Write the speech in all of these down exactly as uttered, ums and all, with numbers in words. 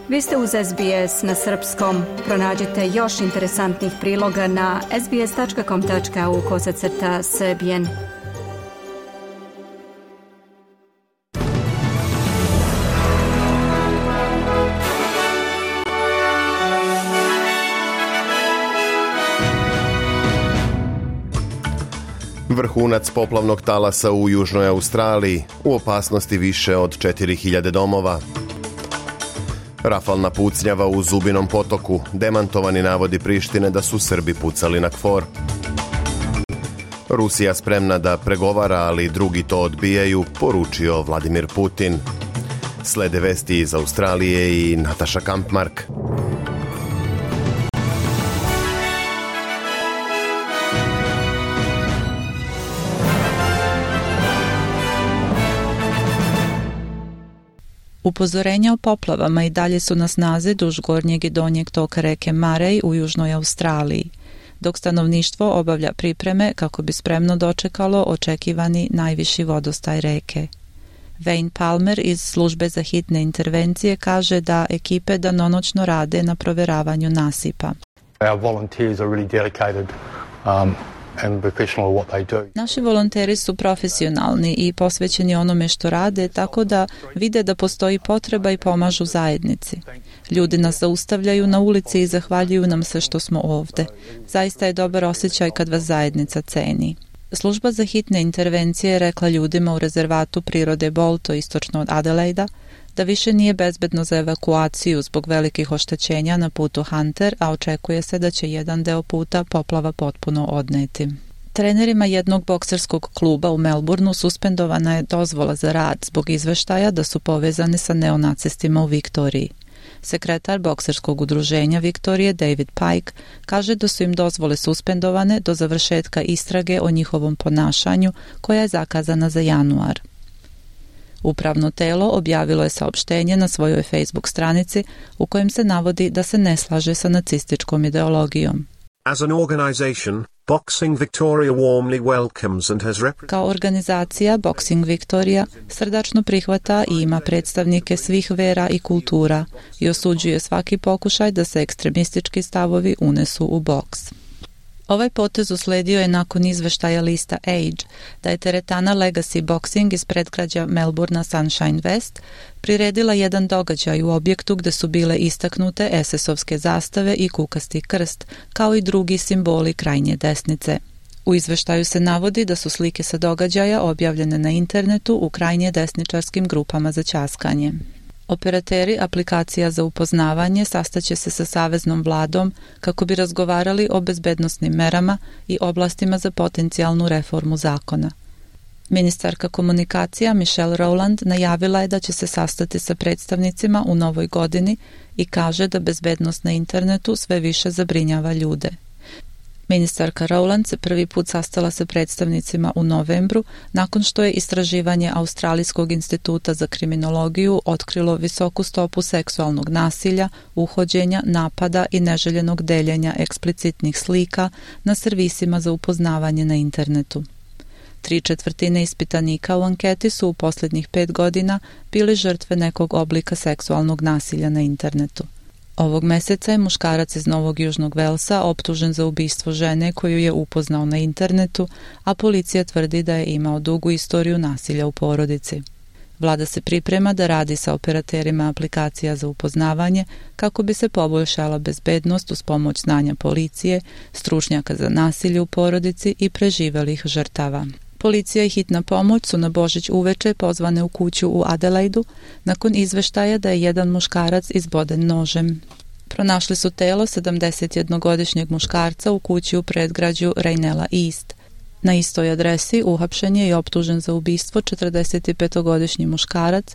Vi ste uz S B S na srpskom. Pronađite još interesantnih priloga na sbs.com tačka au kosacrta srbijen. Vrhunac poplavnog talasa u Južnoj Australiji, u opasnosti više od četiri hiljade domova. Rafalna pucnjava u Zubinom potoku, demantovani navodi Prištine da su Srbi pucali na KFOR. Rusija spremna da pregovara, ali drugi to odbijaju, poručio Vladimir Putin. Slede vesti iz Australije i Nataša Kampmark. Upozorenja o poplavama i dalje su na snazi duž gornjeg i donjeg toka reke Murray u Južnoj Australiji, dok stanovništvo obavlja pripreme kako bi spremno dočekalo očekivani najviši vodostaj reke. Wayne Palmer iz službe za hitne intervencije kaže da ekipe danonoćno rade na proveravanju nasipa. Our volunteers are really dedicated um, and professional at what they do. Naši volonteri su profesionalni i posvećeni onome što rade, tako da vide da postoji potreba i pomažu zajednici. Ljudi nas zaustavljaju na ulici i zahvaljuju nam se što smo ovde. Zaista je dobar osjećaj kad vas zajednica ceni. Služba za hitne intervencije je rekla ljudima u rezervatu prirode Bolto istočno od Adelaida da više nije bezbedno za evakuaciju zbog velikih oštećenja na putu Hunter, a očekuje se da će jedan deo puta poplava potpuno odneti. Trenerima jednog bokserskog kluba u Melbourneu suspendovana je dozvola za rad zbog izveštaja da su povezani sa neonacistima u Viktoriji. Sekretar bokserskog udruženja Viktorije David Pike kaže da su im dozvole suspendovane do završetka istrage o njihovom ponašanju koja je zakazana za januar. Upravno telo objavilo je saopštenje na svojoj Facebook stranici u kojem se navodi da se ne slaže sa nacističkom ideologijom. As an organization, Boxing Victoria warmly welcomes and has rep- Kao organizacija, Boxing Victoria srdačno prihvata i ima predstavnike svih vera i kultura i osuđuje svaki pokušaj da se ekstremistički stavovi unesu u boks. Ovaj potez usledio je nakon izveštaja lista Age da je teretana Legacy Boxing iz predgrađa Melbournea Sunshine West priredila jedan događaj u objektu gde su bile istaknute es es-ovske zastave i kukasti krst, kao i drugi simboli krajnje desnice. U izveštaju se navodi da su slike sa događaja objavljene na internetu u krajnje desničarskim grupama za ćaskanje. Operateri aplikacija za upoznavanje sastaće se sa saveznom vladom kako bi razgovarali o bezbednosnim merama i oblastima za potencijalnu reformu zakona. Ministarka komunikacija Michelle Rowland najavila je da će se sastati sa predstavnicima u novoj godini i kaže da bezbednost na internetu sve više zabrinjava ljude. Ministarka Rowland se prvi put sastala sa predstavnicima u novembru nakon što je istraživanje Australijskog instituta za kriminologiju otkrilo visoku stopu seksualnog nasilja, uhođenja, napada i neželjenog deljenja eksplicitnih slika na servisima za upoznavanje na internetu. Tri četvrtine ispitanika u anketi su u posljednjih pet godina bili žrtve nekog oblika seksualnog nasilja na internetu. Ovog meseca je muškarac iz Novog Južnog Velsa optužen za ubistvo žene koju je upoznao na internetu, a policija tvrdi da je imao dugu istoriju nasilja u porodici. Vlada se priprema da radi sa operaterima aplikacija za upoznavanje kako bi se poboljšala bezbednost uz pomoć znanja policije, stručnjaka za nasilje u porodici i preživelih žrtava. Policija i hitna pomoć su na Božić uveče pozvane u kuću u Adelaidu nakon izveštaja da je jedan muškarac izboden nožem. Pronašli su telo sedamdesetjednogodišnjeg muškarca u kući u predgrađu Raynella East. Na istoj adresi uhapšen je i optužen za ubistvo četrdesetipetogodišnji muškarac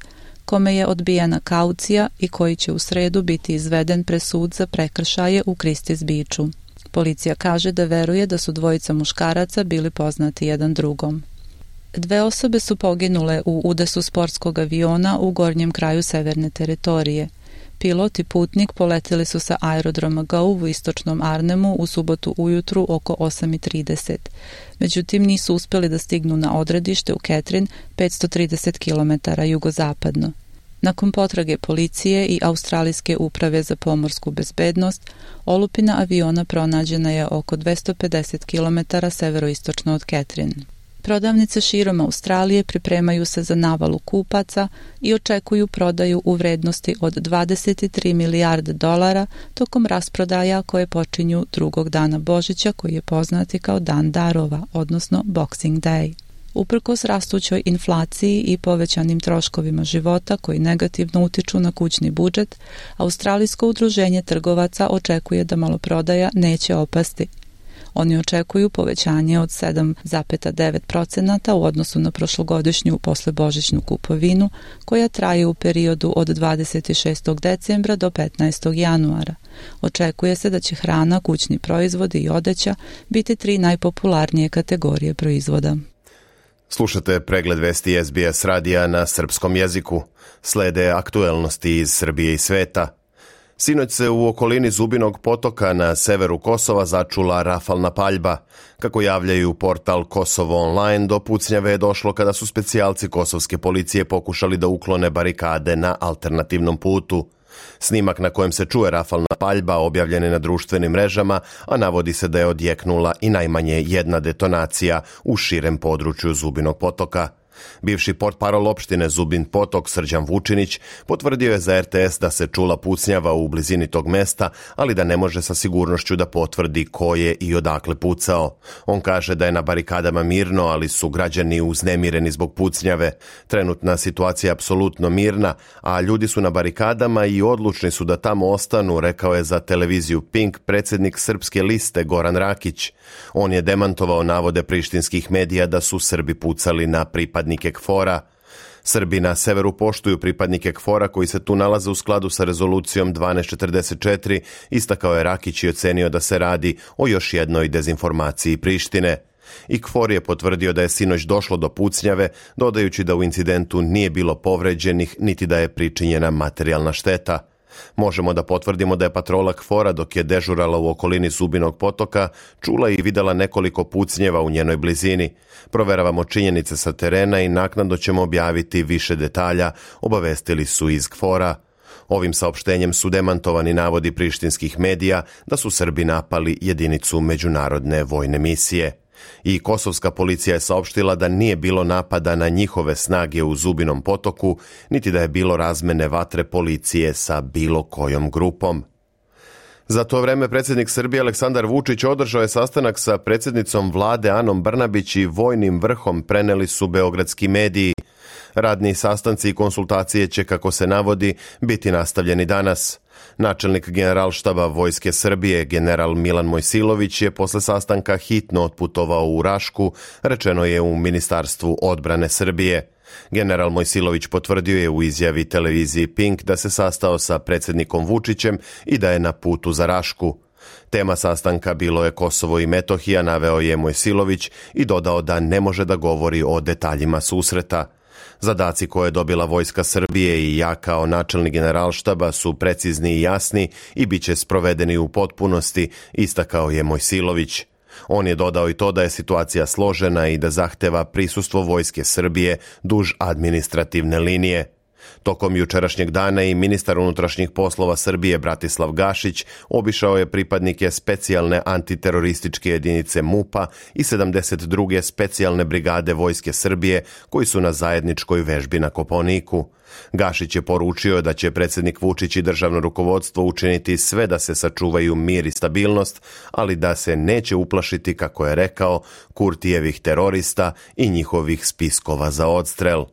kome je odbijena kaucija i koji će u sredu biti izveden pred sud za prekršaje u Christie's Beachu. Policija kaže da veruje da su dvojica muškaraca bili poznati jedan drugom. Dve osobe su poginule u udesu sportskog aviona u gornjem kraju severne teritorije. Pilot i putnik poletili su sa aerodroma Gove u istočnom Arnhemu u subotu ujutru oko osam i trideset. Međutim, nisu uspjeli da stignu na odredište u Katherine, petsto trideset kilometara jugozapadno. Nakon potrage policije i Australijske uprave za pomorsku bezbednost, olupina aviona pronađena je oko dvesta pedeset kilometara severoistočno od Catherine. Prodavnice širom Australije pripremaju se za navalu kupaca i očekuju prodaju u vrednosti od dvadeset tri milijarde dolara tokom rasprodaja koje počinju drugog dana Božića, koji je poznati kao Dan darova, odnosno Boxing Day. Uprkos rastućoj inflaciji i povećanim troškovima života koji negativno utiču na kućni budžet, Australijsko udruženje trgovaca očekuje da maloprodaja neće opasti. Oni očekuju povećanje od sedam zarez devet posto u odnosu na prošlogodišnju poslebožićnu kupovinu, koja traje u periodu od dvadeset šestog decembra do petnaestog januara. Očekuje se da će hrana, kućni proizvodi i odeća biti tri najpopularnije kategorije proizvoda. Slušate pregled vesti S B S radija na srpskom jeziku. Slede aktuelnosti iz Srbije i sveta. Sinoć se u okolini Zubinog potoka na severu Kosova začula rafalna paljba. Kako javljaju portal Kosovo Online, do pucnjave je došlo kada su specijalci kosovske policije pokušali da uklone barikade na alternativnom putu. Snimak na kojem se čuje rafalna paljba objavljen je na društvenim mrežama, a navodi se da je odjeknula i najmanje jedna detonacija u širem području Zubinog potoka. Bivši portparol opštine Zubin Potok Srđan Vučinić potvrdio je za R T S da se čula pucnjava u blizini tog mesta, ali da ne može sa sigurnošću da potvrdi ko je i odakle pucao. On kaže da je na barikadama mirno, ali su građani uznemireni zbog pucnjave. Trenutna situacija je apsolutno mirna, a ljudi su na barikadama i odlučni su da tamo ostanu, rekao je za televiziju Pink predsjednik Srpske liste Goran Rakić. On je demantovao navode prištinskih medija da su Srbi pucali na pripadnike KFOR-a. Srbi na severu poštuju pripadnike KFOR-a koji se tu nalaze u skladu sa rezolucijom dvanaest četrdeset četiri, istakao je Rakić i ocenio da se radi o još jednoj dezinformaciji Prištine. I KFOR je potvrdio da je sinoć došlo do pucnjave, dodajući da u incidentu nije bilo povređenih niti da je pričinjena materijalna šteta. Možemo da potvrdimo da je patrola KFOR-a dok je dežurala u okolini Zubinog potoka čula i videla nekoliko pucnjeva u njenoj blizini. Proveravamo činjenice sa terena i naknadno ćemo objaviti više detalja, obavestili su iz KFOR-a. Ovim saopštenjem su demantovani navodi prištinskih medija da su Srbi napali jedinicu međunarodne vojne misije. I kosovska policija je saopštila da nije bilo napada na njihove snage u Zubinom potoku, niti da je bilo razmene vatre policije sa bilo kojom grupom. Za to vreme predsjednik Srbije Aleksandar Vučić održao je sastanak sa predsjednicom vlade Anom Brnabić i vojnim vrhom, preneli su beogradski mediji. Radni sastanci i konsultacije će, kako se navodi, biti nastavljeni danas. Načelnik generalštaba Vojske Srbije, general Milan Mojsilović, je posle sastanka hitno otputovao u Rašku, rečeno je u Ministarstvu odbrane Srbije. General Mojsilović potvrdio je u izjavi televiziji Pink da se sastao sa predsjednikom Vučićem i da je na putu za Rašku. Tema sastanka bilo je Kosovo i Metohija, naveo je Mojsilović i dodao da ne može da govori o detaljima susreta. Zadaci koje je dobila Vojska Srbije i ja kao načelnik generalštaba su precizni i jasni i bit će sprovedeni u potpunosti, istakao je Mojsilović. On je dodao i to da je situacija složena i da zahteva prisustvo Vojske Srbije duž administrativne linije. Tokom jučerašnjeg dana i ministar unutrašnjih poslova Srbije Bratislav Gašić obišao je pripadnike specijalne antiterorističke jedinice MUP-a i sedamdeset druge specijalne brigade Vojske Srbije koji su na zajedničkoj vežbi na Kopaoniku. Gašić je poručio da će predsjednik Vučić i državno rukovodstvo učiniti sve da se sačuvaju mir i stabilnost, ali da se neće uplašiti, kako je rekao, Kurtijevih terorista i njihovih spiskova za odstrel.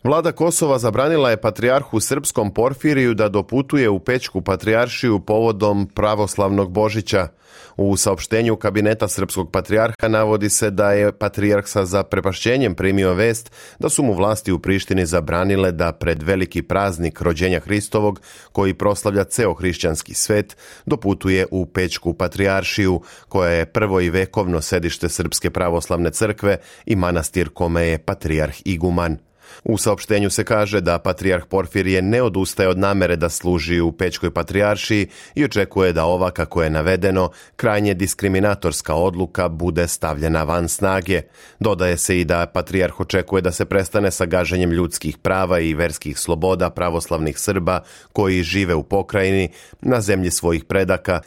Vlada Kosova zabranila je patrijarhu srpskom Porfiriju da doputuje u Pećku patrijaršiju povodom pravoslavnog Božića. U saopštenju kabineta srpskog patrijarha navodi se da je patrijarh sa zaprepašćenjem primio vest da su mu vlasti u Prištini zabranile da pred veliki praznik rođenja Hristovog, koji proslavlja ceo hrišćanski svet, doputuje u Pećku patrijaršiju, koja je prvo i vekovno sedište Srpske pravoslavne crkve i manastir kome je patrijarh iguman. U saopštenju se kaže da patrijarh Porfirije ne odustaje od namere da služi u Pećkoj patrijaršiji i očekuje da ova, kako je navedeno, krajnje diskriminatorska odluka bude stavljena van snage. Dodaje se i da patrijarh očekuje da se prestane sa gaženjem ljudskih prava i verskih sloboda pravoslavnih Srba koji žive u pokrajini na zemlji svojih predaka.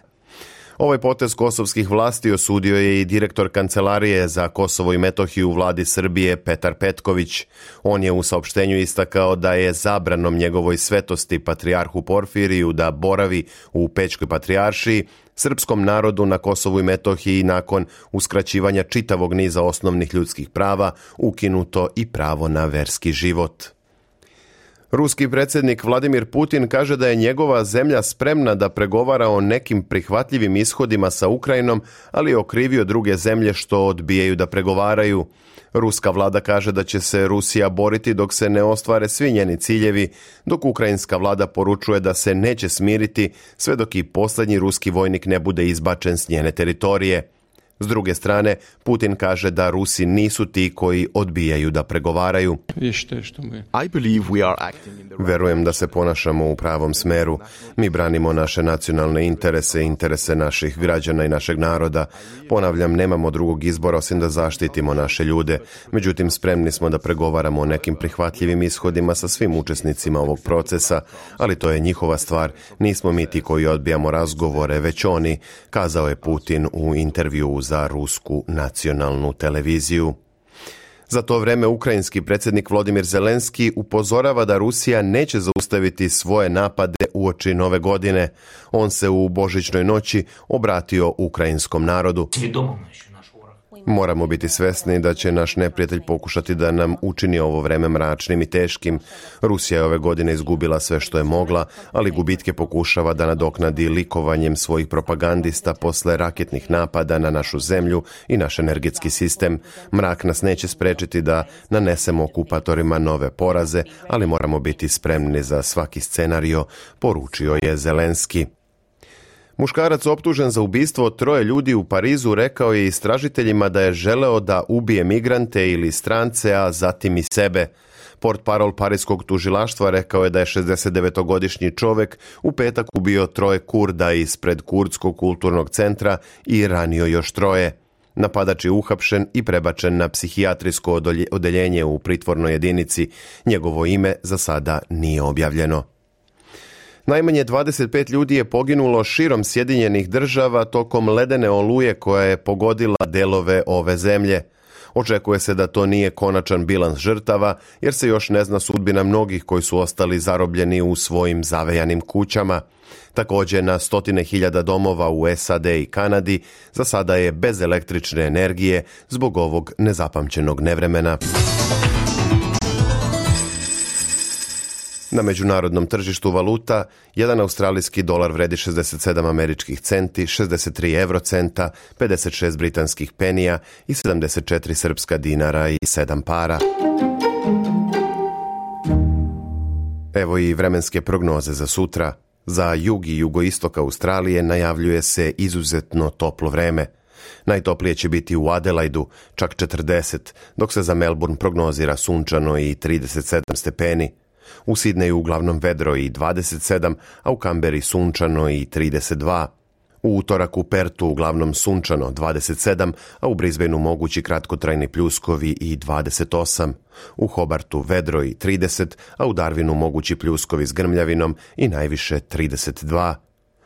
Ovaj potez kosovskih vlasti osudio je i direktor Kancelarije za Kosovo i Metohiju u vladi Srbije Petar Petković. On je u saopštenju istakao da je zabranom njegovoj svetosti patrijarhu Porfiriju da boravi u Pećkoj patrijaršiji srpskom narodu na Kosovu i Metohiji nakon uskraćivanja čitavog niza osnovnih ljudskih prava ukinuto i pravo na verski život. Ruski predsjednik Vladimir Putin kaže da je njegova zemlja spremna da pregovara o nekim prihvatljivim ishodima sa Ukrajinom, ali je okrivio druge zemlje što odbijaju da pregovaraju. Ruska vlada kaže da će se Rusija boriti dok se ne ostvare svi njeni ciljevi, dok ukrajinska vlada poručuje da se neće smiriti sve dok i posljednji ruski vojnik ne bude izbačen s njene teritorije. S druge strane, Putin kaže da Rusi nisu ti koji odbijaju da pregovaraju. Verujem da se ponašamo u pravom smeru. Mi branimo naše nacionalne interese, interese naših građana i našeg naroda. Ponavljam, nemamo drugog izbora osim da zaštitimo naše ljude. Međutim, spremni smo da pregovaramo o nekim prihvatljivim ishodima sa svim učesnicima ovog procesa, ali to je njihova stvar. Nismo mi ti koji odbijamo razgovore, već oni, kazao je Putin u intervjuu za rusku nacionalnu televiziju. Za to vreme ukrajinski predsjednik Volodymyr Zelenski upozorava da Rusija neće zaustaviti svoje napade uoči nove godine. On se u božićnoj noći obratio ukrajinskom narodu. Moramo biti svesni da će naš neprijatelj pokušati da nam učini ovo vreme mračnim i teškim. Rusija je ove godine izgubila sve što je mogla, ali gubitke pokušava da nadoknadi likovanjem svojih propagandista posle raketnih napada na našu zemlju i naš energetski sistem. Mrak nas neće sprečiti da nanesemo okupatorima nove poraze, ali moramo biti spremni za svaki scenario, poručio je Zelenski. Muškarac optužen za ubistvo troje ljudi u Parizu rekao je istražiteljima da je želeo da ubije migrante ili strance, a zatim i sebe. Portparol parijskog tužilaštva rekao je da je šezdesetdevetogodišnji čovjek u petak ubio troje Kurda ispred Kurdskog kulturnog centra i ranio još troje. Napadač je uhapšen i prebačen na psihijatrijsko odeljenje u pritvornoj jedinici. Njegovo ime za sada nije objavljeno. Najmanje dvadeset pet ljudi je poginulo širom Sjedinjenih država tokom ledene oluje koja je pogodila delove ove zemlje. Očekuje se da to nije konačan bilans žrtava, jer se još ne zna sudbina mnogih koji su ostali zarobljeni u svojim zavejanim kućama. Također, na stotine hiljada domova u S A D i Kanadi za sada je bez električne energije zbog ovog nezapamćenog nevremena. Na međunarodnom tržištu valuta, jedan australijski dolar vredi šezdeset sedam američkih centi, šezdeset tri eurocenta, pedeset šest britanskih penija i sedamdeset četiri srpska dinara i sedam para. Evo i vremenske prognoze za sutra. Za jug i jugoistok Australije najavljuje se izuzetno toplo vreme. Najtoplije će biti u Adelaidu, čak četrdeset, dok se za Melbourne prognozira sunčano i trideset sedam stepeni. U Sidneju uglavnom vedro i dvadeset sedam, a u Kamberi sunčano i trideset dva. U utorak u Pertu uglavnom sunčano dvadeset sedam, a u Brisbaneu mogući kratkotrajni pljuskovi i dvadeset osam. U Hobartu vedro i trideset, a u Darwinu mogući pljuskovi s grmljavinom i najviše trideset dva.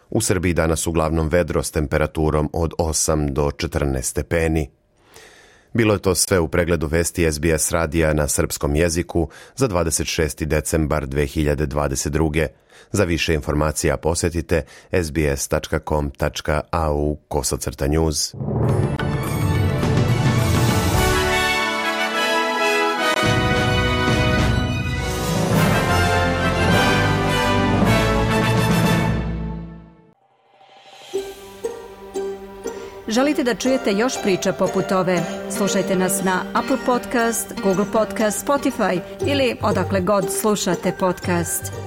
U Srbiji danas uglavnom vedro s temperaturom od osam do četrnaest stepeni. Bilo je to sve u pregledu vesti S B S radija na srpskom jeziku za dvadeset šesti decembar dve hiljade dvadeset druge. Za više informacija posjetite s b s tačka com tačka a u kosacrta news. Želite da čujete još priča poput ove? Slušajte nas na Apple Podcast, Google Podcast, Spotify ili odakle god slušate podcast.